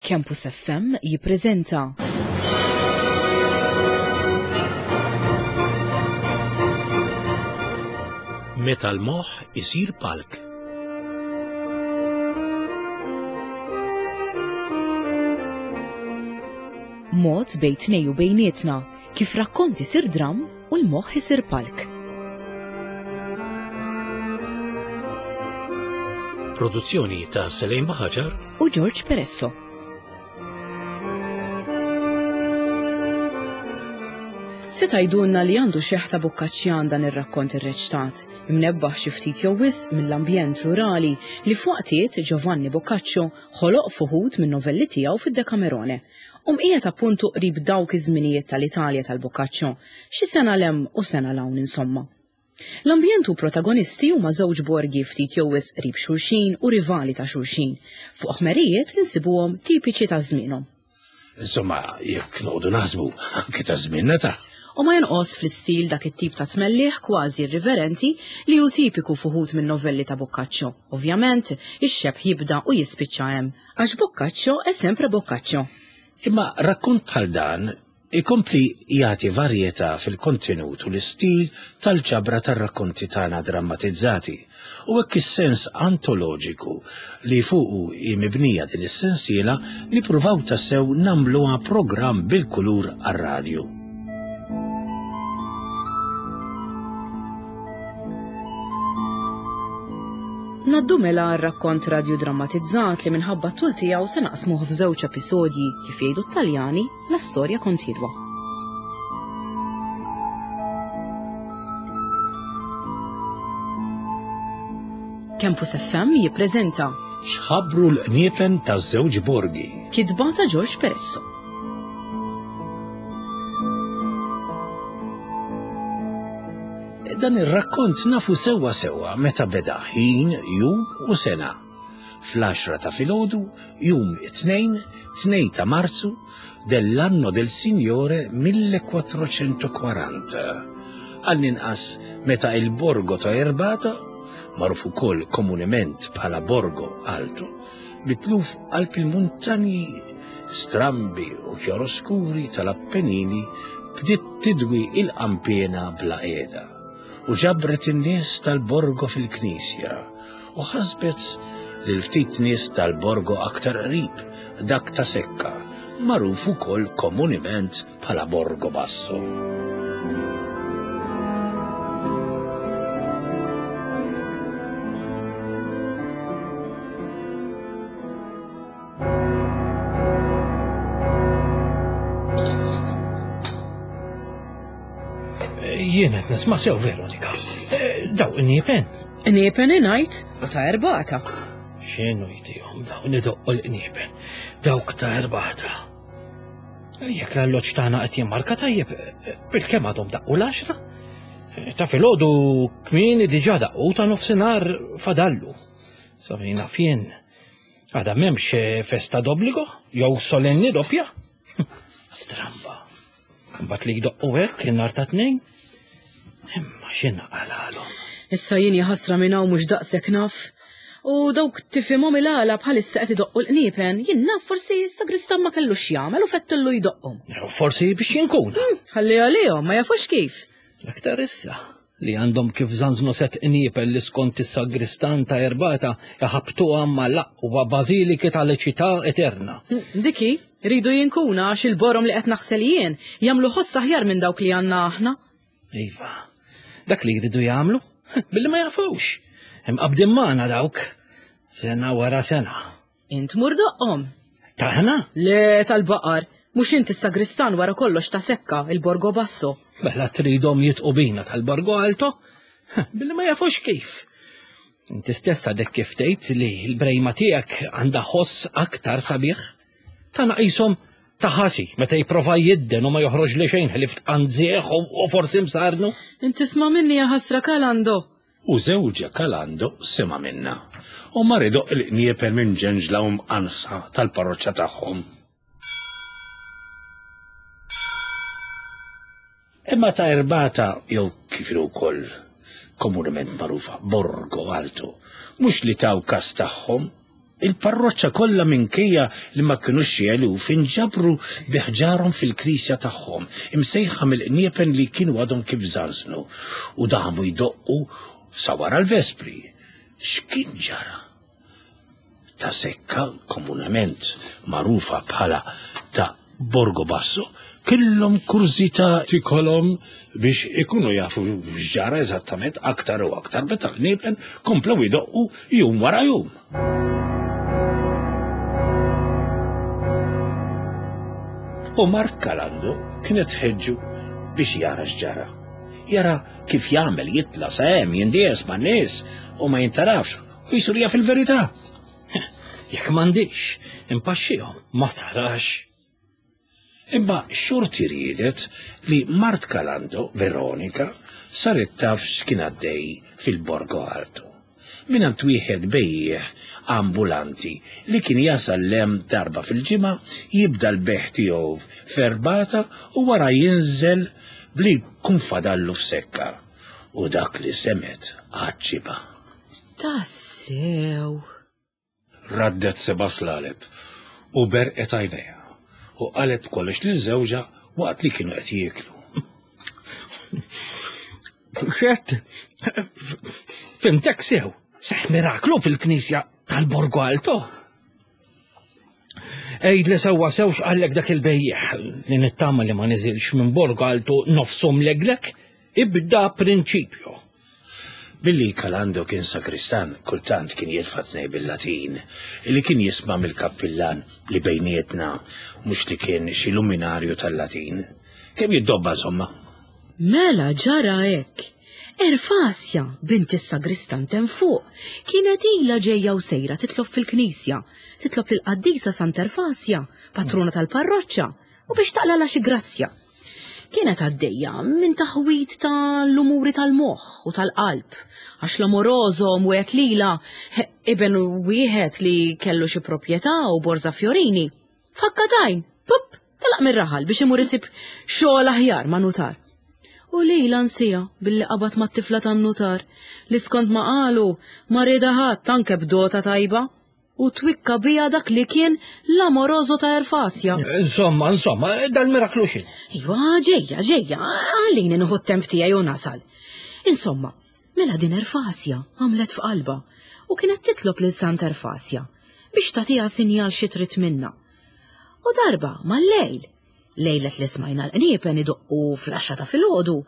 Campus FM jippreżenta. Meta l-moħħ isir palk. Mod bejn tnej u bejnietna kif rakkont isir dramm u l-moħħ isir palk. Produzzjoni ta' Selejn Baħaġar u George Peresso. Se tgħidulna li għandu xeħta Bokkaċċjan dan ir-rakkont irreċtat, imnebbaħ xi ftit jew wisq mill-ambjent rurali li f'waqtiet Giovanni Boccaccio ħoloq f'uħud min-novelli tiegħu fid-Decamerone. U mqiegħed appuntu qrib dawk iż-żminijiet tal-Italja tal-Boccaccio, xi sena 'l hemm u sena 'l hawn insomma. L-ambjent u protagonisti huma żewġ borgi ftit jew wisq qrib xulxin u rivali ta' xulxin, fuq ħmerijiet li nsibuhom tipiċi ta' żmienhom. Insomma, jekk noqogħdu naħsbu, anke ta' żmienna ta'. U ma jonqos fl-istil dak it-tip ta' tmelliħ kważi irriverenti li hu tipiku f'uħud min-novelli ta' Boccaccio. Ovvjament, ix-xebh jibda u jispiċċa hemm. Għax Boccaccio è sempre Boccaccio. Imma rakkont bħal dan ikompli jagħti varjetà fil-kontenut u l-istil tal-ġabra tar-rakkonti tagħna drammatizzati, u hekk is-sens antoloġiku li fuqu hi mibnija din is-sensiela nippruvaw tassew nagħmluha programm bil-kulur għar-radju. Ngħaddu mela għar-rakkont radjudrammatizzat li minħabba t-tul tiegħu se naqsmuh f'żewġ episodji, kif jgħidu t-Taljani, la storia continua. Campus FM jippreżenta X'ħabbru l-qniepen taż-żewġ borgi. Kitba ta' George Peresso. Dan ir-rakkont nafu sewwa sewwa meta beda ħin, jum u sena. Fl-għaxra ta' filgħodu, jum it-Tnejn, 2 ta' Marzu, dell'anno del Signore 1440. Għall-inqas meta il-Borgo ta' Erbata, magħruf ukoll komunement bħala Borgo Alto, mitluf qalb il-muntanji strambi u kjaroskuri tal-Appenini bdiet tidwi il-qanpiena bla qiegħda u ġabret in-nies tal-Borgo fil-knisja u ħasbet lil ftit nies tal-Borgo aktar qrib, dak ta' Secca, magħruf ukoll komunement bħala Borgo Basso. Jien qed nisma' sew Veronika. Eh, daw in-niepen. Niepen ingħid u ta' erbata. X'inhu jtihom dawn idoqqu l-qniepen? Dawk ta' erbata. Jekk l-alloġġ tagħna qed jimmarka tajjeb, bil-kemm għadhom daqqu l-għaxra? Ta' filgħodu kmieni diġà daqqu ta' nofsinhar fadallu. Sa fejn naf jien, għadha m'hemmx festa d'obbligo jew solenni doppja. Stramba. Mbagħad li jdoqqu hekk in-nhar ta' tnejn. Imma x'inqalalhom? Issa jien jaħasra minn hawn mhux daqshekk naf. U dawk tifhimhom il-għala bħalissa qed idoqqu l-qniepen, jien naf forsi s-sagristan ma kellux x'jagħmel u fettillu jdoqqhom. Forsi biex jinkun. Hmm, ħalli għalihom, ma jafux kif. L-aktar issa li għandhom kif żanżnu set qniepel li skont is-sagristan ta' Erbata iħabbtuha mal-aqwa bażiliki tal-ċità eterna. Hmm, diki, rridu jinkuna għax il-borom li qed naħsel jien jagħmlu ħoss aħjar minn dawk li għandna aħna. Iva, dak li jridu jagħmlu, billi ma jafux. Imqabdin magħna dawk, sena wara sena. Int mur doqqhom. Taħna? Le tal-baqar, mhux inti s-sagristan wara kollox ta' sekka il-Borgo Basso. Mela tridhom jitqu bina tal-Borgo Alto? Billi ma jafux kif. Inti stess għadek kif tgħid li l-brejma tiegħek għandha ħoss aktar sabiħ. Tagħna qishom ta' ħasi meta jipprova jidden u ma joħroġ li xejn ħlief tqanżieħ u forsi msarnu. Inti sma' minni ja ħasra Kalando. U żewġha Kalando sema' minnha u mar idoqq il-qniepen minn ġenġla u mqansa tal-parroċċa tagħhom. Imma ta' Erbata jew kif inhu wkoll komunement magħrufa Borgo Alto, mhux li taw kas tagħhom. Il-parroċċa kollha minkejja li ma kinux xi eluf inġabru bi ħġarhom fil-knisja tagħhom, imsejħa mill-qniepen li kienu għadhom kif żanżnu, u damu jdoqqu sa wara l-vespri. X'kien ġara? Ta' Sekka, komunament magħrufa bħala ta' Borgo Basso, kellhom kurżità tikolhom biex ikunu jafu x'ġara eżattament aktar u aktar meta l-qniepen komplew idoqqu jum wara jum. U mart Kalando kienet tħeġġu biex jara x'ġara. Jara kif jagħmel jitla' sa hemm jindies man-nies u ma jintarafx u jisur jaf il-verità. Jekk m'għandix, impaxxihom, ma tarax. Imma xorti riedet li mart Kalando, Veronika, saret taf x'kien għaddej fil-Borgo Alto. Mingħand wieħed bejjiegħ ambulanti li kien jasal 'l hemm darba fil-ġimgħa, jibda l-bejgħ tiegħu f'Erbata u wara jinżel bli jkun fadallu f'Sekka. U dak li semgħet għaġġibha. Tassew! Raddet seba' slaleb u berqet għajnejha u qalet b'kollox lil żewġha waqt li kienu qed jieklu. Xett, fimtek sew, seħ miraklu fil-knisja tal-Borgo Alto. Ejd li sewwa sew x'qallek dak il-bejjeħ li nittama li ma niżilx minn Borgo Alto nofshom leglek, ibda prinċipju. Billi Kalando kien sakristan, kultant kien jitfa' tnej bil-Latin, li kien jisma' mill-kappillan li bejnietna mhux li kien xi luminarju tal-Latin. Kemm jiddobba insomma. Mela ġara hekk. Erfasja, bint is-sagristan t'hemm fuq, kienet ilha ġejja u sejra titlob fil-knisja, titlob lill-qaddisa Sant'Erfasja, patruna tal-parroċċa, u biex taqlalha xi grazzja. Kienet għaddejja minn taħwid ta' l-umuri tal-moħħ u tal-qalb, għax l-amoroso mwiegħed lilha iben wieħed li kellu xi proprjetà u borża fjorini. F'ħakka t'għajn, pup, telaq mir-raħal biex imur isib xogħol aħjar ma' nutar. U lilha nsiha billi qabad mat-tifla tan-nutar li skont ma qalu ma riedha ħadd anke b'dota tajba. U twikka biha dak li kien l-amoroso ta' Erfasja. Insomma, insomma, dal-miraklu xi. Iva, ġejja, ġejja, għalini nieħu t-temp tiegħi u nasal. Insomma, mela din Erfasja għamlet f'qalba u kienet titlob lil Sant Erfasja biex tagħtiha sinjal xi trid minnha. U darba mal-lejl, lejlet li smajna l-qniepen idoqqu fl-għaxra ta' filgħodu,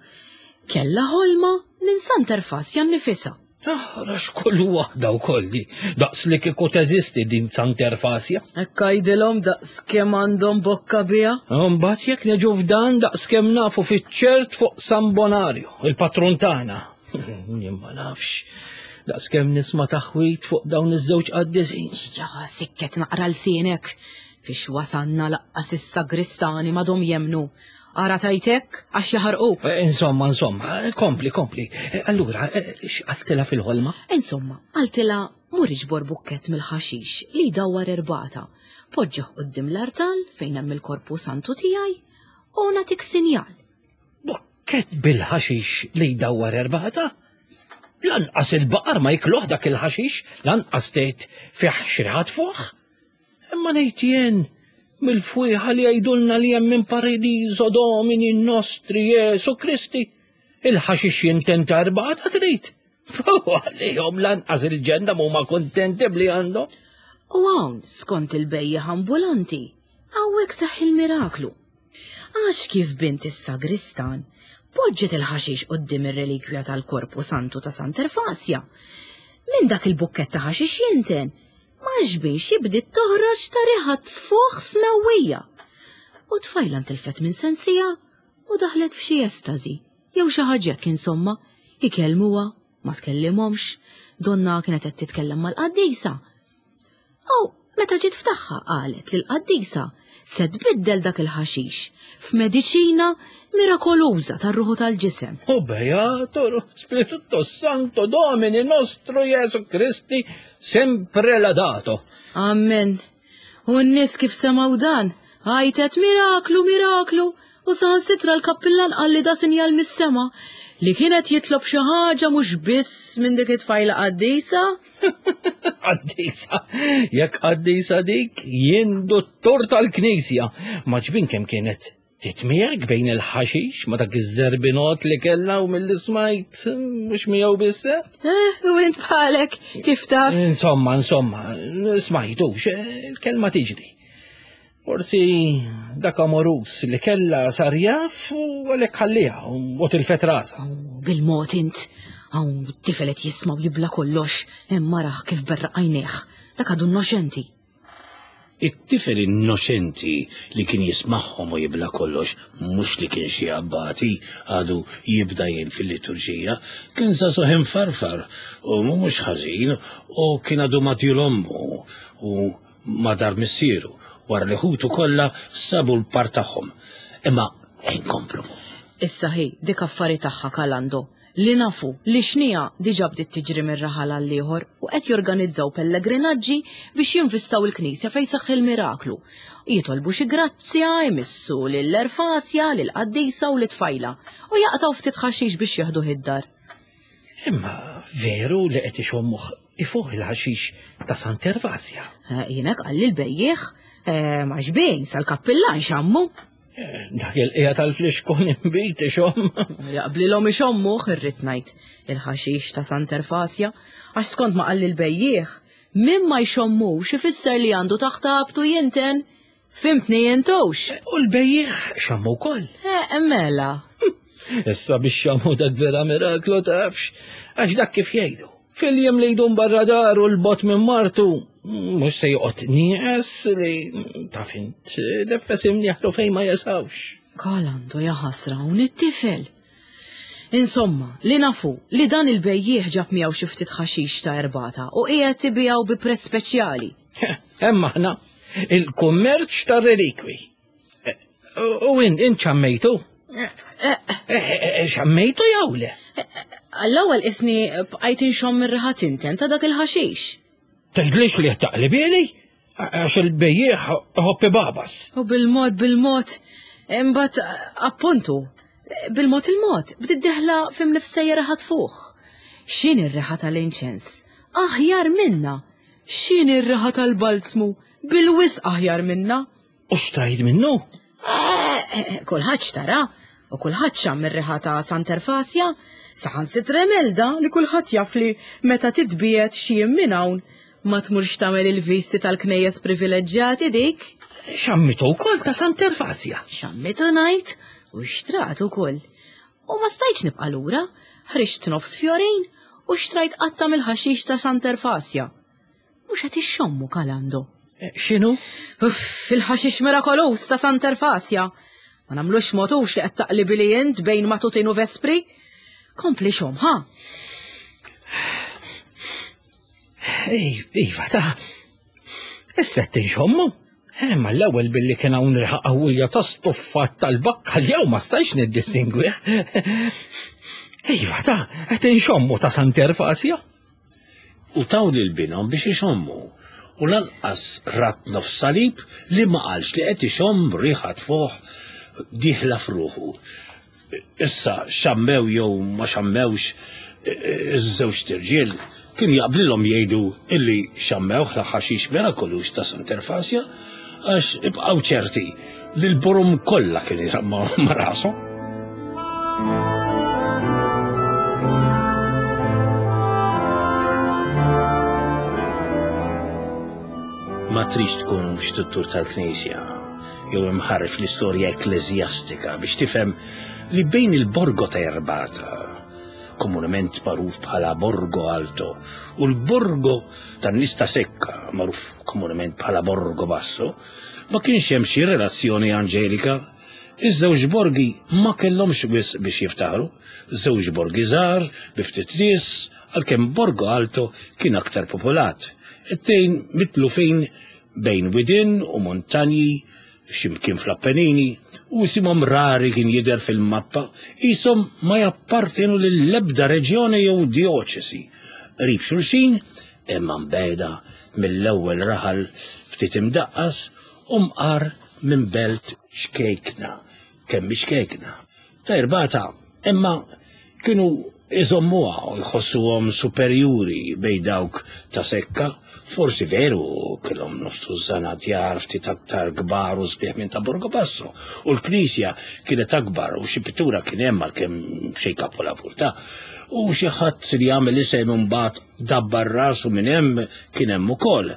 kellha ħolma minn Sant Erfasja nnifisha. Aħrax kull waħda u kolli, daqs li kieku teżisti din Sant'Erfasja. Hekk għidilhom daqs kemm għandhom bokka biha. Mbagħad jekk neġu f'dan daqs kemm nafu fiċ-ċert fuq San Bonario, il-patrun tagħna. Jien ma nafx, daqs kemm nisma' taħwid fuq dawn iż-żewġ qaddisin. Ja, sikket naqra lsienek. Fiex wasanna laqqas is-sagristani m'għadhom jemmnu. Ara tajt hekk għax jaħarquk. Eh, insomma, insomma, eh, kompli, kompli. Eh, allura, x'qaltilha fil-ħolma? Insomma, qaltilha mur iġbor bukkett mill-ħaxix li jdawwar erbata. Poġġih quddiem l-artal fejn hemm il-korpu santu tiegħi u nagħtik sinjal. Bukkett bil-ħaxix li jdawwar erbata? Lanqas il-baqar ma jikluh dak il-ħaxix, lanqas tgħid fih xi riħa tfuħ. Imma ngħid jien, mill-fwieħa li jgħidulna li hemm minn Paradiso Domini Nostri Jesu Kristi, il-ħaxix jinten ta' erbata trid. Fuq għalihom lanqas il-ġenna m'huma kuntenti bli għandhom. U hawn, skont il-bejjiegħ ambulanti, hawnhekk seħħ il-miraklu. Għax kif bint is-sagristan poġġiet il-ħaxix quddiem ir-relikwja tal-Korpu Santu ta' Sant'Erfasja, minn dak il-bukkett ta' ħaxix jinten, ma xbiex bdiet toħroġ ta' riħa tfuħ smewwija. U tfajla ntilfet minn sensija u daħlet f'xi estażi, jew xi ħaġa hekk insomma, ikellmuha, ma tkellimhomx, donna kienet qed titkellem mal-qaddisa. U meta ġiet f'tagħha qalet li l-qaddisa se tbiddel dak il-ħaxix f'mediċina mirakoluża tar-ruħu tal-ġisem. U beato Spirito Santo Domini nostro Jesu Kristi sempre ladato. Amen. U n-nies kif semgħu dan, għajtet miraklu, miraklu, u saħansitra l-kappillan qal li da sinjal mis-sema. li kien qed jitlob xi ħaġa mhux biss minn dik it-tfajla qaddisa? Qaddisa, jekk qaddisa dik, jien dottor tal-knisja. Ma ġbin kemm kienet titmierk bejn il-ħaxix ma dak iż-żerbinot li kellha u mill smajt mhux miegħu biss. Eh, u int bħalek kif taf? Insomma, insomma, smajtux, eh, il-kelma tiġri. Forsi dak amorus li kella sar jaf u għalhekk ħalliha u tilfet rasha. Bil-mod int, hawn tifel qed jisma' u jibla kollox, hemm maraħ kif berraq għajnejh, dak għadu innoċenti. It-tifel innoċenti li kien jismagħhom u jibla kollox, mhux li kien xi abbati għadu jibda jgħin fil-liturġija, kien żagħżugħ imfarfar u mhux ħażin u kien għadu ma' djul ommu u ma' dar missieru wara li ħutu kollha sabu l-par tagħhom. Imma inkomplu. Issa hi, dik affari tagħha Kalando, li nafu li xnija diġà bdiet tiġri minn raħal għal ieħor u qed jorganizzaw pellegrinaġġi biex jinvistaw il-knisja fejn seħħ il-miraklu. Jitolbu xi grazzja, imissu lil Erfasja, lil qaddisa u lit-tfajla u jaqtgħu ftit ħaxix biex jeħduh id-dar. Imma veru li qed ixommuh ifuħ il-ħaxix ta' Sant'Ervasja. Eh, Jiena qalli l-bejjiegħ eh, ma xbejn sal-kappillan xammu. Eh, dak il-qija tal-flixkun imbit ixomm. Jaqblilhom ixommuh irrid ngħid il-ħaxix ta' Sant'Erfasja għax skont ma qalli l-bejjiegħ min ma jxommux ifisser li għandu taħt abtu jinten. Fimtni jintux. U l-bejjiegħ xammu wkoll. Eh, mela. Issa biex xammu dak vera miraklu tafx, għax dak kif jgħidu. Fil-jiem li jdum barra dar u l-bot minn martu, mhux se joqgħod nieqes li taf int neffes imnieħtu fejn ma jesawx. Kalandu jaħasra hawn it-tifel. Insomma, li nafu li dan il-bejjiegħ ġab miegħu xi ftit ħaxix ta' erbata u qiegħed ibiegħu bi prezz speċjali. Hemm aħna il-kummerċ tar-relikwi. Eh, u int int xammejtu? Eh, eh, xammejtu jew le? Għall-ewwel isni bqajt inxomm ir-riħa tinten ta' dak il-ħaxix. Tgħidlix li qed taqlibieli? Għax il-bejjiegħ ħoppi babas. U bil-mod bil-mod, imbagħad appuntu, bil-mod il-mod, bdiet deħla fim nifsejja riħa tfuħ. X'inhi r-riħa tal-inċens? Aħjar minna! X'inhi r-riħa tal-balzmu? Bil-wisq aħjar minna! U xtrajt minnu? Eh, eh, kulħadd xtara u kulħadd xamm ir-riħa ta' Sant'Erfasja, saħansitra Imelda li kulħadd jaf li meta titbiegħed xi jiem minn hawn ma tmurx tagħmel il-visti tal-knejjes privileġġjati dik. Xammitu wkoll ta' Sant'Erfasja. Xammitu ngħid u xtrat ukoll. U ma stajtx nibqa' lura, ħriġt nofs fjorin u xtrajt qatta mill-ħaxix ta' Sant'Erfasja. Mhux qed ixxommu Kalando. Eh, x'inhu? Uff, il-ħaxix mirakoluż ta' Sant'Erfasja. Ma nagħmlux motux li qed taqli li int bejn matutin u vespri. Kompli xom, ha? Ej, iva, ta' issa tinxommu. Eh, ma l-ewwel billi kien hawn riħa qawwija ta' stuffat tal-bakka jew ma stajx niddistingwi. Iva, ta' qed inxommu ta' Sant'Erfasja. U taw lil binhom biex ixommu, u lanqas rat nofs salib li ma qalx li qed ixomm riħa tfuħ dieħla f'ruħu. Issa xammew jew ma xammewx iż-żewġt irġiel kien jaqblilhom jgħidu illi xammewh ta' ħaxix mirakoluż ta' Sant'Erfasja għax ibqgħu ċerti li l-borom kollha kien ma' rashom. Ma tridx tkun xtuttur tal-Knisja jew imħarref l-istorja ekkleżjastika biex tifhem li bejn il-Borgo ta' Erbata, komunement magħruf bħala Borgo Alto, u l-Borgo tan-Nista Sekka, magħruf komunement bħala Borgo Basso, ma kienx hemm xi relazzjoni anġelika. Iż-żewġ borgi ma kellhomx wisq biex jiftaħru, żewġ borgi żgħar bi ftit nies, għalkemm Borgo Alto kien aktar popolat. It-tejn mitlufin bejn widien u muntanji x'imkien fl-Appenini u isimhom rari kien jidher fil-mappa, qishom ma jappartjenu lill-ebda reġjoni jew djoċesi. Qrib xulxin, imma mbiegħda mill-ewwel raħal ftit imdaqqas u mqar minn belt xkejkna, kemm hi xkejkna, ta' Irbata, imma. Kienu iżommuha u jħossuhom superjuri bejn dawk ta' Sekka. Forsi veru kellhom nofs tużżana djar ftit aktar kbar u sbieħ minn ta' Borgo Basso u l-knisja kienet akbar u xi pittura kien hemm għalkemm xejn kapolavur ta' u xi ħadd li għamel isem imbagħad dabbar rasu minn hemm kien hemm ukoll.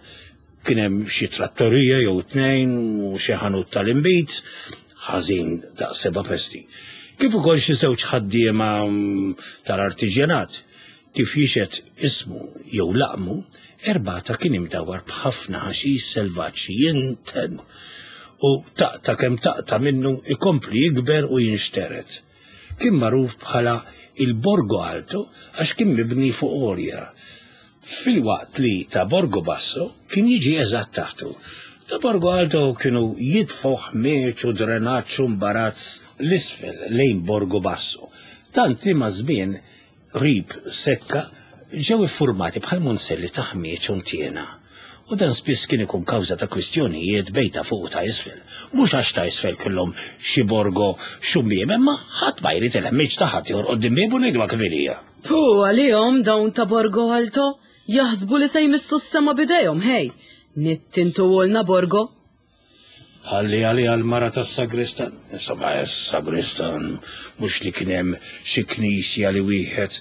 Kien hemm xi trattorija jew tnejn u xi ħanut tal-inbid, ħażin daqs seba' pesti. Kif ukoll xi żewġ ħaddiema mm, tal-artiġjanat. Kif jixhed ismu jew laqmu, Erbata kien imdawwar b'ħafna ħaxix selvaġġ jinten u taqta' kemm taqta' minnu ikompli jikber u jinxtered. Kien magħruf bħala il-Borgo Alto għax kien mibni fuq għolja, filwaqt li ta' Borgo Basso kien jiġi eżatt taħtu. Ta' Borgo Alto kienu jitfgħu ħmieġ u drenaġġ u mbarazz 'l isfel lejn Borgo Basso, tant li maż-żmien qrib Sekka ġew iffurmati bħal munzelli ta' ħmieġ u ntiena. U dan spiss kien ikun kawża ta' kwistjonijiet bejn ta' fuq u ta' isfel. Mhux għax ta' isfel kellhom xi borgo xummiem, imma ħadd ma jrid il-ħmieġ ta' ħaddieħor quddiem biebu ngħiduha kif inhija. Puh għalihom dawn ta' Borgo Alto, jaħsbu li se jmissu s-sema b'idejhom, ħej! Nittintuhulna Borgo! Ħalli għaliha l-mara tas-sagristan. Insomma, s-sagristan mhux li kien hemm xi knisja li wieħed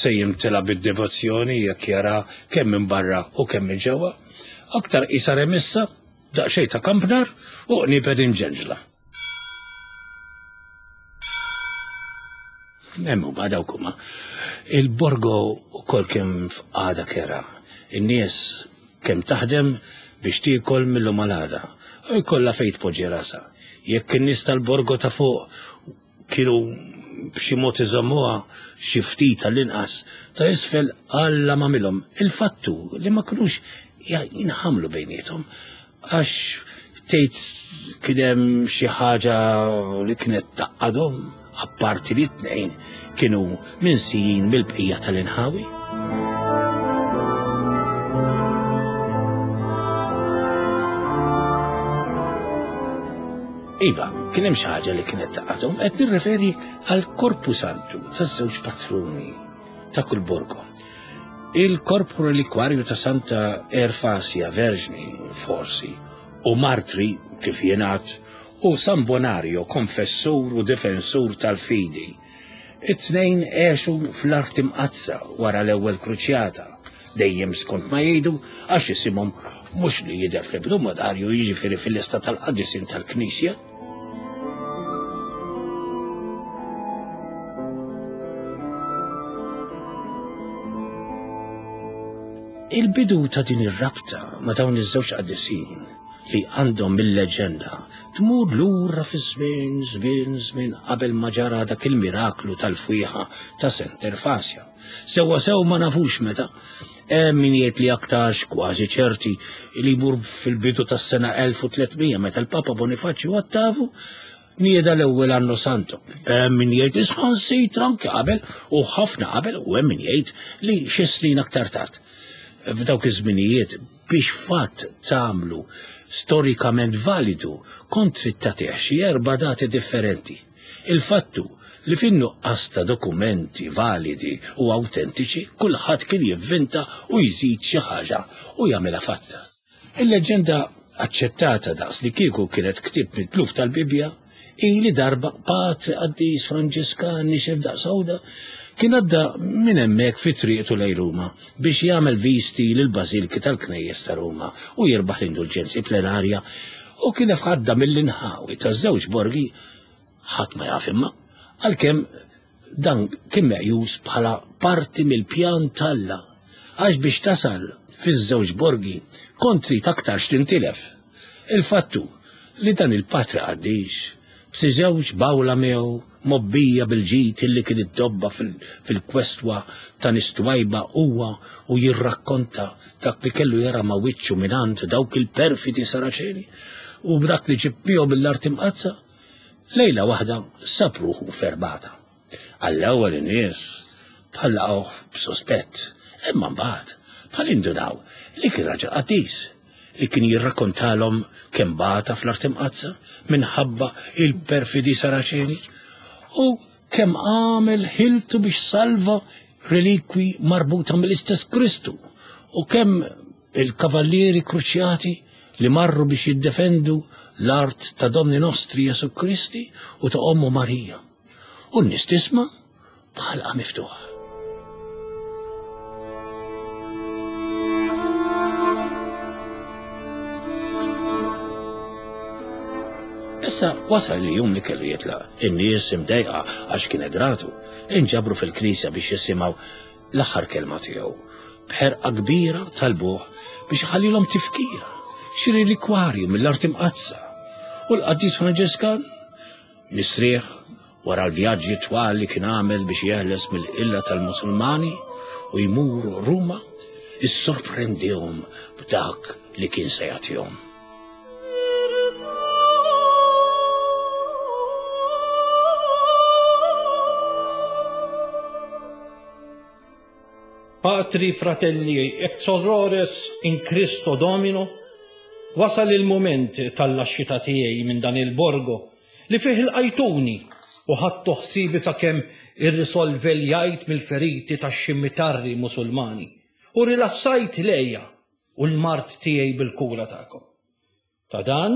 se jimtela bid-devozzjoni jekk jara kemm minn barra u kemm minn ġewwa. Aktar qisha remissa, daqsxejn ta' kampnar u qniepet imġenġla. Hemm huma dawk huma. Il-Borgo ukoll kien f'qagħda kera. In-nies kemm taħdem biex tiekol mill-lum għal għada. U jkollha fejn tpoġġi rasha. Jekk in-nies tal-Borgo ta' fuq kienu b'xi mod iżommuha xi ftit għall-inqas, ta' isfel Alla m'għamilhom. Il-fatt hu li ma kinux jinħamlu bejniethom Għax tgħid kien hemm xi ħaġa li kienet taqadhom apparti li t-tnejn kienu minsijin mill-bqija tal-inħawi. Iva, kien hemm xi ħaġa li kienet taqadhom, qed nirreferi għal Korpu Santu taż-żewġ patruni ta' kull borgo. Il-korp relikwarju ta' Santa Erfasia Verġni, forsi, u martri, kif jingħad, u San Bonario, konfessur u difensur tal-fidi. It-tnejn għexu fl-Art Imqaddsa wara l-Ewwel Kruċjata, dejjem skont ma jgħidu għax isimhom mhux li jidher fl-Ebdomadarju jiġifieri fil-lista tal-qaddisin tal-Knisja. Il-bidu ta' din ir-rabta ma' dawn iż-żewġ qaddisin li għandhom mill-leġenda tmur lura fi żmien, żmien, żmien qabel ma ġara dak il-miraklu tal-fwieħa ta' Santa Erfasja. Sewwa sew ma nafux meta. Hemm min jgħid li aktarx kważi ċerti li jmur fil-bidu tas-sena 1300 meta l-Papa Bonifaċju Ottavu nieda l-ewwel Anno Santo. Hemm min jgħid li sħansitra anke qabel u ħafna qabel u hemm min jgħid li xi snin aktar tard. F'dawk iż-żminijiet biex fatt tagħmlu storikament validu kont trid tagħtih xi erba' dati differenti. Il-fatt hu li fin-nuqqas ta' dokumenti validi u awtentiċi kulħadd kien jivvinta u jżid xi ħaġa u jagħmilha fatta. Il-leġġenda aċċettata daqs li kieku kienet ktieb mitluf tal-Bibbja hi li darba patri qaddis Franġiskan nixef daqs għuda kien għadda minn hemmhekk fi triqtu lejn Ruma biex jagħmel visti lill-bażilki tal-knejjes ta' Ruma u jirbaħ l-indulġenzi plenarja u kien għadda mill-inħawi taż-żewġ borgi ħadd ma jaf imma, għalkemm dan kien meqjus bħala parti mill-pjan t'Alla, għax biex tasal fiż-żewġ borgi kont trid aktarx tintilef. Il-fatt hu li dan il-patri qaddis, b'xi żewġ bawla miegħu mgħobbija bil-ġid illi kien iddobba fil-kwestwa ta' nies twajba huwa u jirrakkonta dak li kellu jara ma' wiċċu mingħand dawk il-perfidi Saraċeni u b'dak li ġib miegħu mill-Art Imqaddsa, lejla waħda sab ruħu f'erbata. Għall-ewwel in-nies bħal laqgħuh b'suspett, imma mbagħad bħal indunaw li kien raġel qaddis li kien jirrakkontalhom kemm bata fl-Art Imqaddsa minħabba il-perfidi Saraċeni u. kemm għamel ħiltu biex salva relikwi marbuta mill-istess Kristu u kemm il-kavallieri kruċjati li marru biex jiddefendu l-art ta' Domni Nostri Jesu Kristi u ta' Ommu Marija. U n-nies tisma' b'ħalqa miftuħa. Issa wasal li jum li kellu jitlaq. In-nies imdejqa għax kienet ratu, inġabru fil-knisja biex jisimgħu l-aħħar kelma tiegħu. B'ħerqa kbira talbuh biex iħallilhom tifkira, xi relikwarju mill-art imqaddsa. U l-qaddis Franġiskan mistrieħ wara l-vjaġġi twal li kien għamel biex jeħles mill-qilla tal-Musulmani u jmur Ruma, issorprendihom b'dak li kien se jagħtihom. Patri, fratelli, et sorores in Cristo Domino, wasal il-mument tal-laxxita tiegħi minn dan il-borgo li fih ilqajtuni u ħadtu ħsiebi sakemm irrisolveljajt mill-feriti tax-ximitarri Musulmani u rilassajt l-għeja u l-mard tiegħi bil-kura tagħkom. Ta' dan,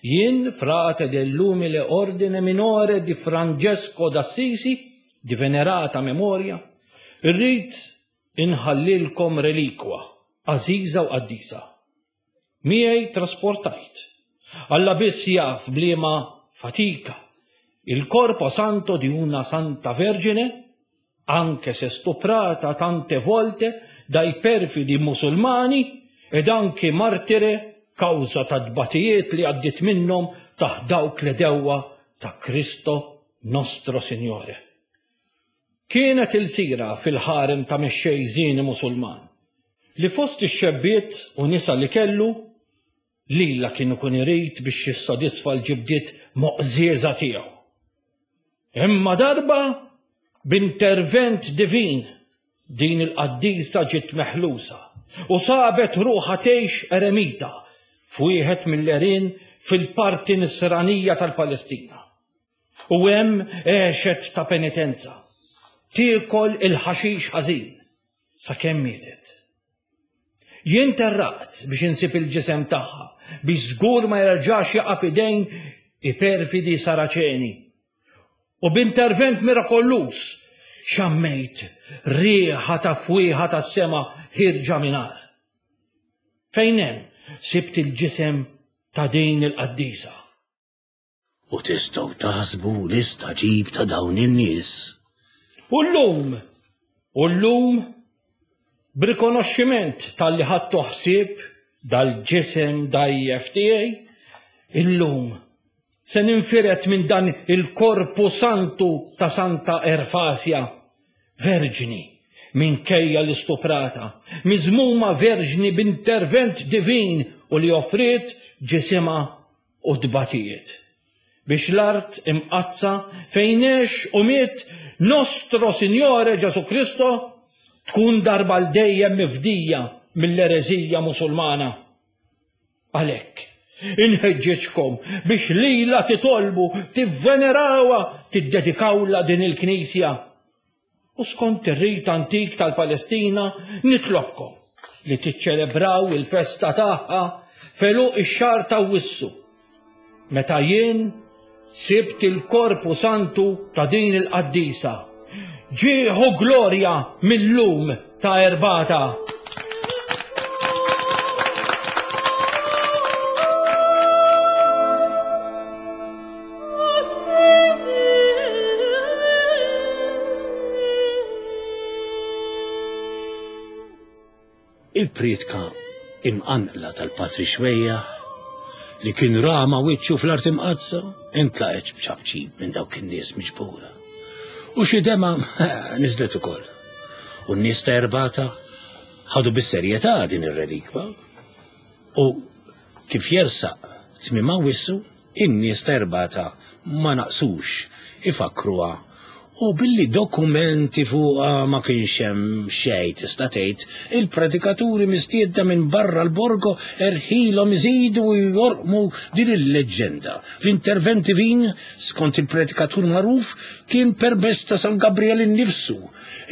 jien frate dell'umile ordine minore di Francesco d'Assisi, di venerata memoria, irrid inħallilkom relikwa għażiża u qaddisa. Miegħi trasportajt. Alla biss jaf b'liema fatika il corpo santo di una santa vergine, anche se stuprata tante volte dai perfidi musulmani ed anche martire kawża ta' tbatijiet li għaddiet minnhom taħt dawk l-għedewwa ta' Kristo Nostro Signore. Kienet ilsira fil-ħarem ta' mexxej żieni Musulman, li fost ix-xebbiet u nisa li kellu, lilha kien ikun irid biex jissodisfa l-ġibdiet moqżieża tiegħu. Imma darba, b'intervent divin, din il-qaddisa ġiet meħlusa u sabet ruħha tgħix eremita f'wieħed mill-għerien fil-parti Nisranija tal-Palestina. U hemm għexet ta' penitenza, tiekol il-ħaxix ħażin sakemm mietet. Jien terraqt biex insib il-ġisem tagħha biex żgur ma jerġax jaqa' f'idejn i perfidi Saraċeni. U b'intervent mirakolluż xammejt riħa ta' fwieħa tas-sema ħierġa minn għar. Fejn hemm sibt il-ġisem ta' din il-qaddisa. U tistgħu taħsbu l-istagħġib ta' dawn in-nies. U llum, u llum, b'rikonoxximent talli ħadtu ħsieb dal-ġisem dgħajjef tiegħi, illum se ninfired minn dan il-korpu santu ta' Santa Erfasja, verġni minkejja l-istuprata, miżmuma verġni b'intervent divin u li offriet ġisimha u tbatijiet, biex l-art imqaddsa fejn għex u miet Nostro Signore Ġesù Kristo tkun darba għal dejjem mifdija mill-ereżija Musulmana. Għalhekk, inħeġġeġkom biex lilha titolbu, tivvenerawha, tiddedikawlha din il-knisja. U skont ir-rit antik tal-Palestina nitlobkom li tiċċelebraw il-festa tagħha f'għeluq ix-xahar ta' Awwissu, meta jien sibt il-korpu santu ta' din il-qaddisa. Ġieħ u glorja mil-lum ta' Erbata! Il-prietka imqanqla tal-Patri Xwejjaħ li kien rama wiċċu fl-art imqaddsa intlaqet b'ċapċip minn dawk in-nies miġbura. U xi dema niżlet ukoll. U n-nies ta' Erbata ħadu bis-serjetà din ir-relikwa U kif jersaq tmiem Awwissu, in-nies ta' Erbata ma naqsux ifakkruha. U billi dokumenti fuqha ma kienx hemm xejn tista' tgħid, il-predikaturi mistiedna minn barra l-Borgo erħilhom iżidu u jorqmu din il-leġġenda. L-intervent divin, skont il-predikatur magħruf, kien permezz ta' San Gabriel innifsu,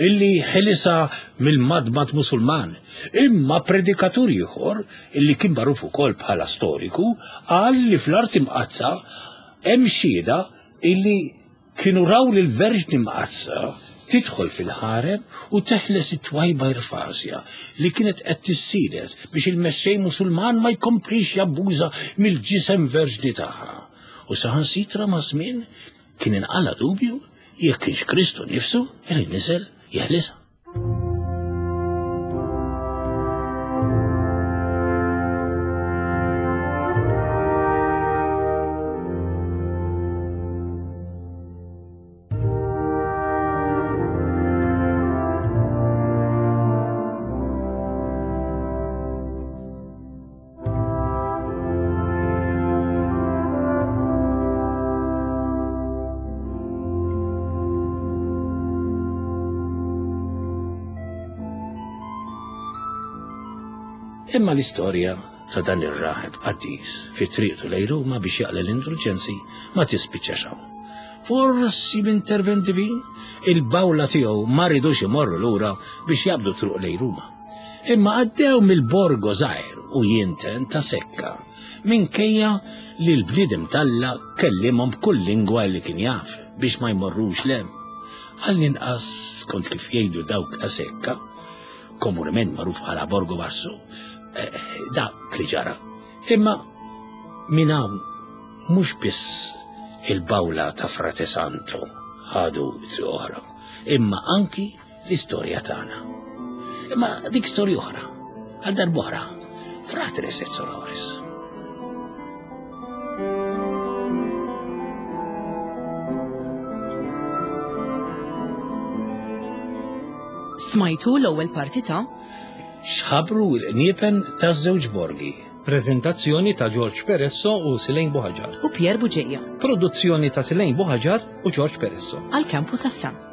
illi ħelisha mill-madmad Musulman. Imma predikatur ieħor, illi kien magħruf ukoll bħala storiku, qal li fl-Art Imqaddsa hemm xhieda illi kienu raw lill-Verġni Mqaddsa tidħol fil-ħarem u teħles it-twajba Irfasja li kienet qed tissielet biex il-mexxej Musulman ma jkomplix jabbuża mill-ġisem verġni tagħha. U saħansitra maż-żmien kien inqala' dubju jekk kienx Kristu nnifsu li niżel jeħlisha. Imma l-istorja ta' dan ir-raħeb qaddis fi triqtu lejn Ruma biex jaqla l-indulġenzi ma tispiċċax hawn. Forsi b'intervent divin, il-bawla tiegħu ma ridux imorru lura biex jaqbdu truq lejn Ruma. Imma għaddew mill-Borgo żgħir u jinten ta' Sekka, minkejja li l-bniedem t'Alla kellimhom b'kull lingwa li kien jaf biex ma jmorrux 'l hemm. Għall-inqas skont kif jgħidu dawk ta' Sekka, komunement magħruf bħala Borgo Basso, eh, dak li ġara. Imma minn hawn mhux biss il-bawla ta' Frate Santo ħadu triq oħra, imma anki l-istorja tagħna. Imma dik storja oħra, għal darb'oħra, Fratres et Sorores. Smajtu l-ewwel parti ta' X'ħabru l-qniepen taż-żewġ borgi. Preżentazzjoni ta' George Peresso u Silejn Buħaġar. U Pier Buġeja. Produzzjoni ta' Silejn Buħaġar u George Peresso. Għal Campus FM.